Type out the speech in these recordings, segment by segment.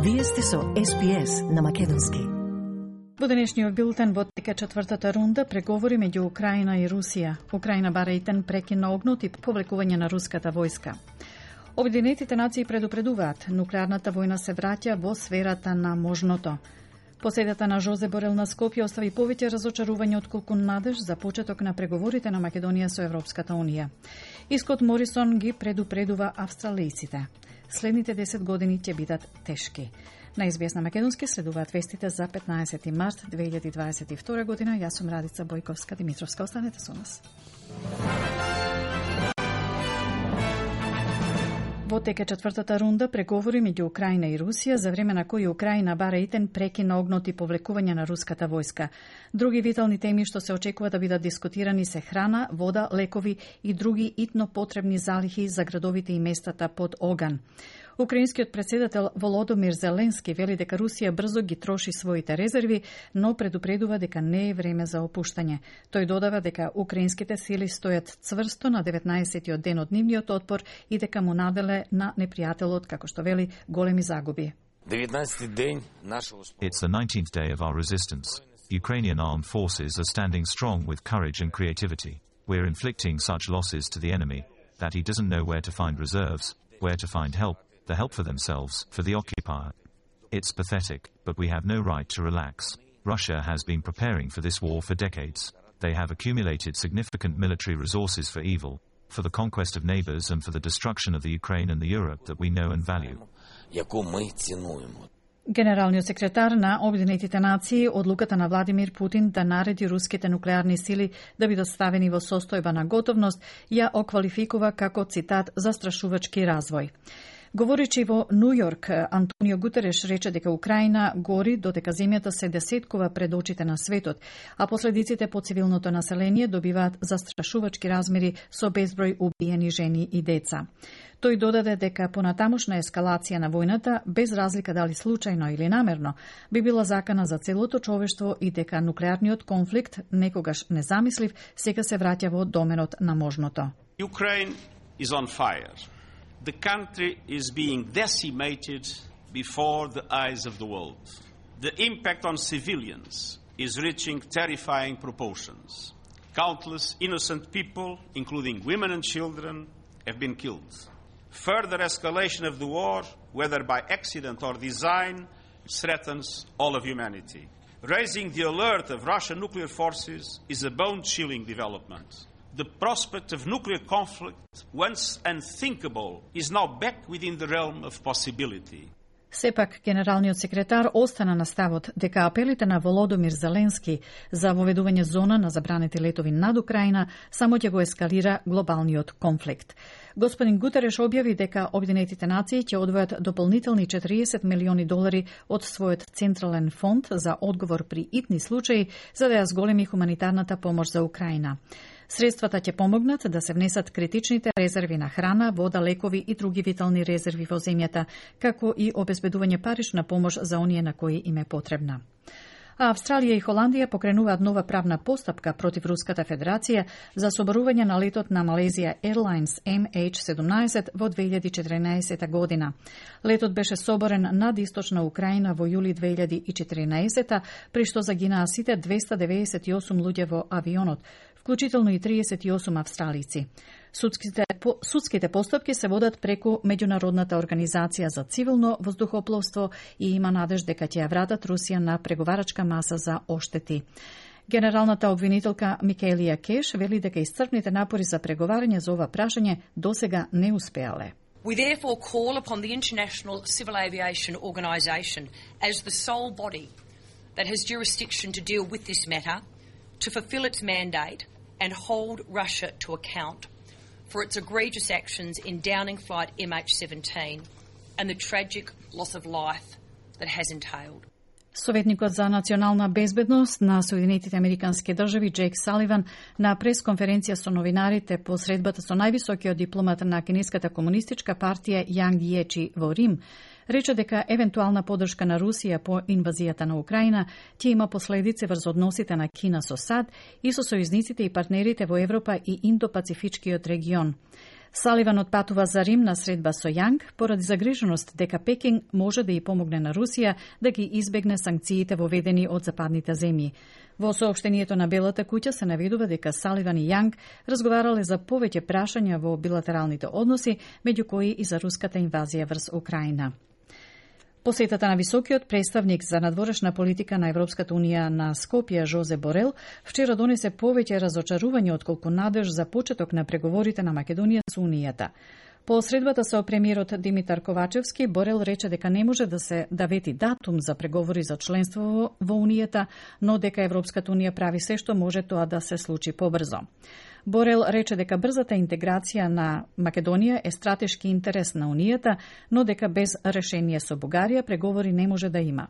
Вие сте со SPS на македонски. Во денешниот билтен во тека четвртата рунда преговори меѓу Украина и Русија. Украина бара итен прекин на огнот и повлекување на руската војска. Обединетите нации предупредуваат, нуклеарната војна се враќа во сферата на можното. Поседата на Жозе Борел на Скопје остави повеќе разочарување отколку надеж за почеток на преговорите на Македонија со Европската Унија. И Скот Морисон ги предупредува австралијците. Следните 10 години ќе бидат тешки. На SBS на македонски следуваат вестите за 15 март 2022 година. Јас сум Радица Бојковска-Димитровска. Останете со нас. Во тека четвртата рунда преговори меѓу Украина и Русија, за време на кои Украина бара итен прекин на огнот и повлекување на руската војска. Други витални теми што се очекува да бидат дискутирани се храна, вода, лекови и други итно потребни залихи за градовите и местата под оган. Украинскиот председател Володомир Зеленски вели дека Русија брзо ги троши своите резерви, но предупредува дека не е време за опуштање. Тој додава дека украинските сили стојат цврсто на 19-тиот ден од нивниот отпор и дека му наделе на непријателот, како што вели, големи загуби. It's the 19th day of our resistance. Ukrainian armed forces are standing strong with courage and creativity. We're inflicting such losses to the enemy that he doesn't know where to find reserves, where to find help, the help for themselves, for the occupier. It's pathetic, but we have no right to relax. Russia has been preparing for this war for decades. They have accumulated significant military resources for evil, for the conquest of neighbors and for the destruction of the Ukraine and the Europe that we know and value. Генералниот секретар на Обединетите нации одлуката на Владимир Путин да нареди руските нуклеарни сили да бидат ставени во состојба на готовност ја оквалификува како, цитат, застрашувачки развој. Говоречи во Нью Йорк, Антонио Гутереш рече дека Украина гори додека земјата се десеткува пред очите на светот, а последиците по цивилното население добиваат застрашувачки размери со безброј убиени жени и деца. Тој додаде дека понатамошна ескалација на војната, без разлика дали случајно или намерно, би била закана за целото човештво и дека нуклеарниот конфликт, некогаш незамислив, сега се враќа во доменот на можното. Ukraine is on fire. The country is being decimated before the eyes of the world. The impact on civilians is reaching terrifying proportions. Countless innocent people, including women and children, have been killed. Further escalation of the war, whether by accident or design, threatens all of humanity. Raising the alert of Russian nuclear forces is a bone-chilling development. The prospect of nuclear conflict, once unthinkable, is now back within the realm of possibility. Сепак, генералниот секретар остана на ставот дека апелите на Володомир Зеленски за воведување зона на забранети летови над Украина само ќе го ескалира глобалниот конфликт. Господин Гутереш објави дека Обединетите нации ќе одвојат дополнителни $40 милиони од својот централен фонд за одговор при итни случаи за да ја зголеми хуманитарната помош за Украина. Средствата ќе помогнат да се внесат критичните резерви на храна, вода, лекови и други витални резерви во земјата, како и обезбедување парична помош за оние на кои им е потребна. А Австралија и Холандија покренуваат нова правна постапка против Руската Федерација за соборување на летот на Malaysia Airlines MH17 во 2014 година. Летот беше соборен над источна Украина во јули 2014, при што загинаа сите 298 луѓе во авионот, вклучително и 38 австралици. Судските постапки се водат преку Меѓународната организација за цивилно воздухопловство и има надеж дека ќе ја вратат Русија на преговарачка маса за оштети. Генералната обвинителка Микелија Кеш вели дека исцрпните напори за преговарање за ова прашање досега не успеале. We therefore call upon the International Civil Aviation Organisation as the sole body that has jurisdiction to deal with this matter to fulfil its mandate and hold Russia to account for its egregious actions in downing flight MH17 and the tragic loss of life that has entailed. Советникот за национална безбедност на Соединетите Американски држави Джейк Саливан на пресконференција со новинарите по средбата со највисокиот дипломат на Кинеската комунистичка партија Јанг Јечи во Рим рече дека евентуална поддршка на Русија по инвазијата на Украина ќе има последици врз односите на Кина со САД и со сојузниците и партнерите во Европа и Индо-Пацифичкиот регион. Саливан отпатува за Рим на средба со Јанг поради загриженост дека Пекинг може да ја помогне на Русија да ги избегне санкциите воведени од западните земји. Во соопштението на Белата куќа се наведува дека Саливан и Јанг разговарале за повеќе прашања во билатералните односи, меѓу кои и за руската инвазија врз Украина. Посетата на високиот представник за надворешна политика на Европската унија на Скопје, Жозе Борел, вчера донесе повеќе разочарување отколку надеж за почеток на преговорите на Македонија со Унијата. По средбата со премиерот Димитар Ковачевски, Борел рече дека не може да вети датум за преговори за членство во Унијата, но дека Европската унија прави се што може тоа да се случи побрзо. Борел рече дека брзата интеграција на Македонија е стратешки интерес на Унијата, но дека без решение со Бугарија преговори не може да има.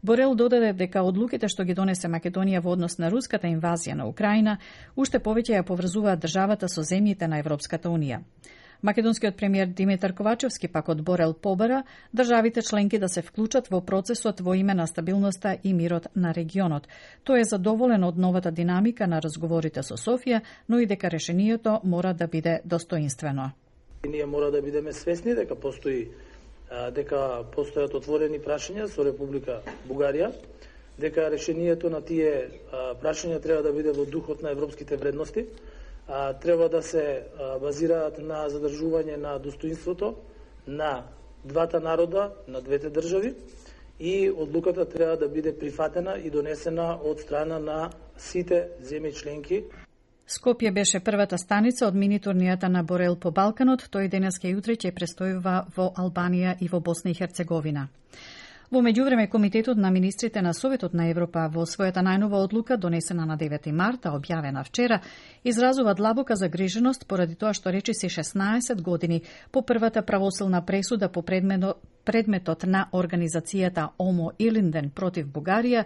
Борел додаде дека одлуките што ги донесе Македонија во однос на руската инвазија на Украина уште повеќе ја поврзуваат државата со земјите на Европската унија. Македонскиот премиер Димитар Ковачевски пак од Борел побара државите членки да се вклучат во процесот во име на стабилноста и мирот на регионот. Тој е задоволен од новата динамика на разговорите со Софија, но и дека решението мора да биде достоинствено. Ние мора да бидеме свесни дека постојат отворени прашања со Република Бугарија, дека решението на тие прашања треба да биде во духот на европските вредности, треба да се базираат на задржување на достоинството на двата народа, на двете држави, и одлуката треба да биде прифатена и донесена од страна на сите земји членки. Скопје беше првата станица од мини-турнијата на Борел по Балканот. Тој денеска и утре ќе престојува во Албанија и во Босна и Херцеговина. Во меѓувреме, Комитетот на министрите на Советот на Европа во својата најнова одлука, донесена на 9 марта, објавена вчера, изразува длабока загриженост поради тоа што речиси 16 години по првата правосилна пресуда по предметот на организацијата Омо Илинден против Бугарија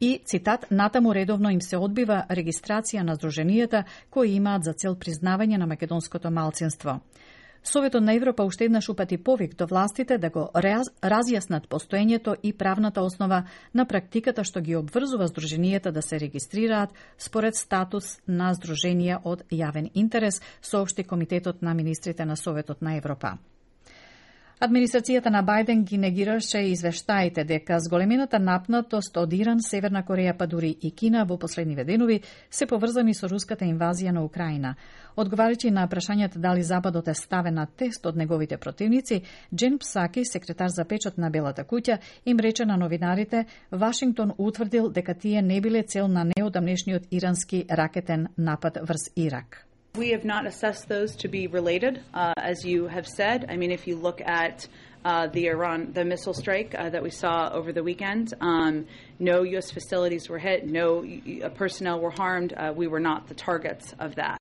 и, цитат, натаму редовно им се одбива регистрација на здруженијата кои имаат за цел признавање на македонското малцинство. Советот на Европа уште еднаш упати повик до властите да го разјаснат постоењето и правната основа на практиката што ги обврзува здруженијата да се регистрираат според статус на здруженија од јавен интерес, соопшти Комитетот на министрите на Советот на Европа. Администрацијата на Бајден ги негираше извештаите дека зголемената напнатост од Иран, Северна Кореја па дури и Кина во последниве денови се поврзани со руската инвазија на Украина. Одговарајќи на прашањата дали Западот е ставен на тест од неговите противници, Джен Псаки, секретар за печат на Белата куќа, им рече на новинарите Вашингтон утврдил дека тие не биле цел на неодамнешниот ирански ракетен напад врз Ирак. We have not assessed those to be related, as you have said. I mean, if you look at the missile strike that we saw over the weekend, no U.S. facilities were hit, no personnel were harmed. We were not the targets of that.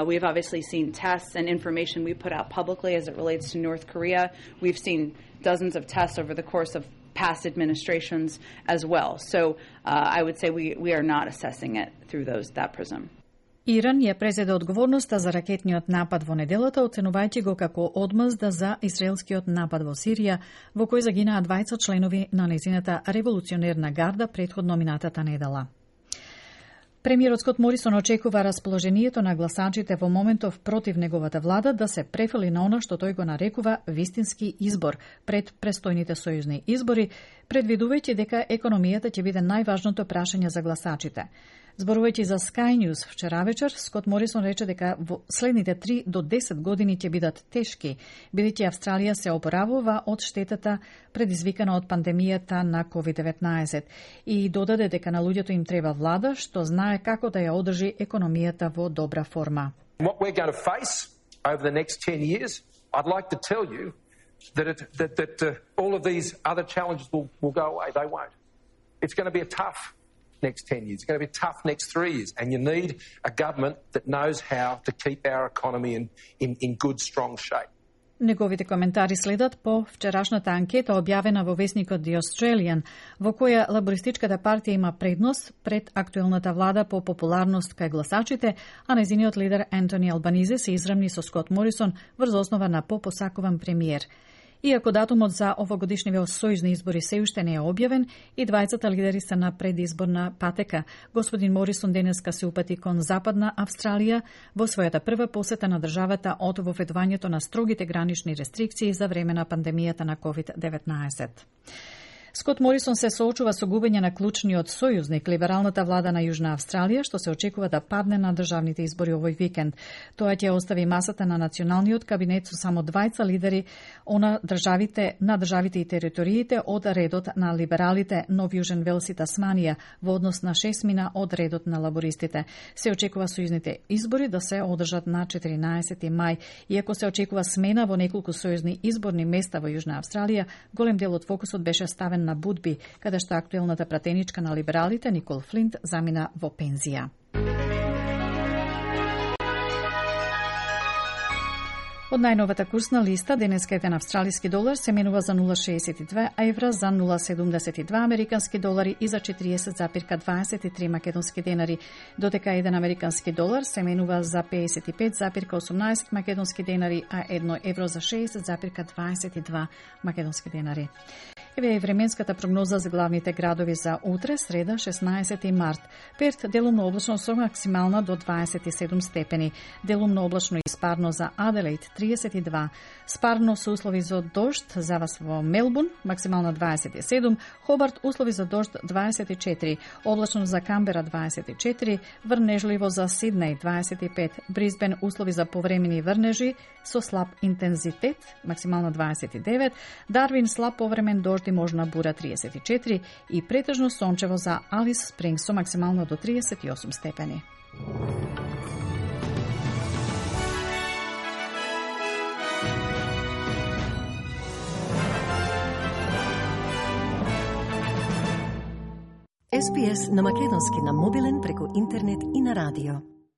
We have obviously seen tests and information we put out publicly as it relates to North Korea. We've seen dozens of tests over the course of past administrations as well. So I would say we are not assessing it through that prism. Иран ја презеде одговорноста за ракетниот напад во неделата, оценувајќи го како одмазда за израелскиот напад во Сирија, во кој загинаа 20 членови на нејзината револуционерна гарда претходно минатата недела. Премиерот Скот Морисон очекува расположението на гласачите во моментов против неговата влада да се префали на она што тој го нарекува вистински избор пред престојните сојузни избори, предвидувајќи дека економијата ќе биде најважното прашање за гласачите. Зборувајќи за Sky News вчера вечер, Скот Морисон рече дека во следните 3 до 10 години ќе бидат тешки, бидејќи Австралија се опоравува од штетата предизвикана од пандемијата на COVID-19 и додаде дека на луѓето им треба влада што знае како да ја одржи економијата во добра форма. What we're going to face over the next 10 years, I'd like to tell you that all of these other challenges will go away. They won't. It's going to be a tough next 10 years. It's going to be tough next 3 years. And you need a government that knows how to keep our economy in good, strong shape. Неговите коментари следат по вчерашната анкета објавена во весникот The Australian, во која лабористичката партија има предност пред актуелната влада по популарност кај гласачите, а нејзиниот лидер Ентони Албанизе се израмни со Скот Морисон врз основа на попосакуван премиер. Иако датумот за овогодишниве сојузни избори се уште не е објавен, и двајцата лидери се на предизборна патека. Господин Морисон денеска се упати кон Западна Австралија во својата прва посета на државата од воведувањето на строгите гранични рестрикции за време на пандемијата на COVID-19. Скот Морисон се соочува со губење на клучниот сојузник, либералната влада на Јужна Австралија, што се очекува да падне на државните избори овој викенд. Тоа ќе остави масата на националниот кабинет со само двајца лидери на државите и териториите од редот на либералите, Нов Јужен Велс и Тасманија, во однос на 6 мина од редот на лабористите. Се очекува сојузните избори да се одржат на 14 мај. Иако се очекува смена во неколку сојузни изборни места во Јужна Австралија, голем дел од фокусот беше ставен на Будби, каде што актуелната пратеничка на либералите Никол Флинт замина во пензија. Од најновата курсна листа, денеска еден австралиски долар се менува за 0,62 евра, за 0,72 американски долари и за 40,23 македонски денари, додека еден американски долар се менува за 55,18 македонски денари, а 1 евро за 60,22 македонски денари. Еве е временската прогноза за главните градови за утре, среда, 16 март. Перт делумно облачно со максимална до 27 степени. Делумно облачно и спарно за Аделаид, 32. Спарно со услови за дожд за вас во Мелбурн, максимална 27. Хобарт, услови за дожд 24. Облачно за Камбера 24. Врнежливо за Сиднеј 25. Брисбен, услови за повремени врнежи со слаб интензитет, максимална 29. Дарвин, слаб повремен дожд и можна бура 34 и претежно сончево за Алис Спрингс со максимално до 38 степени. SPS на македонски на мобилен преку интернет и на радио.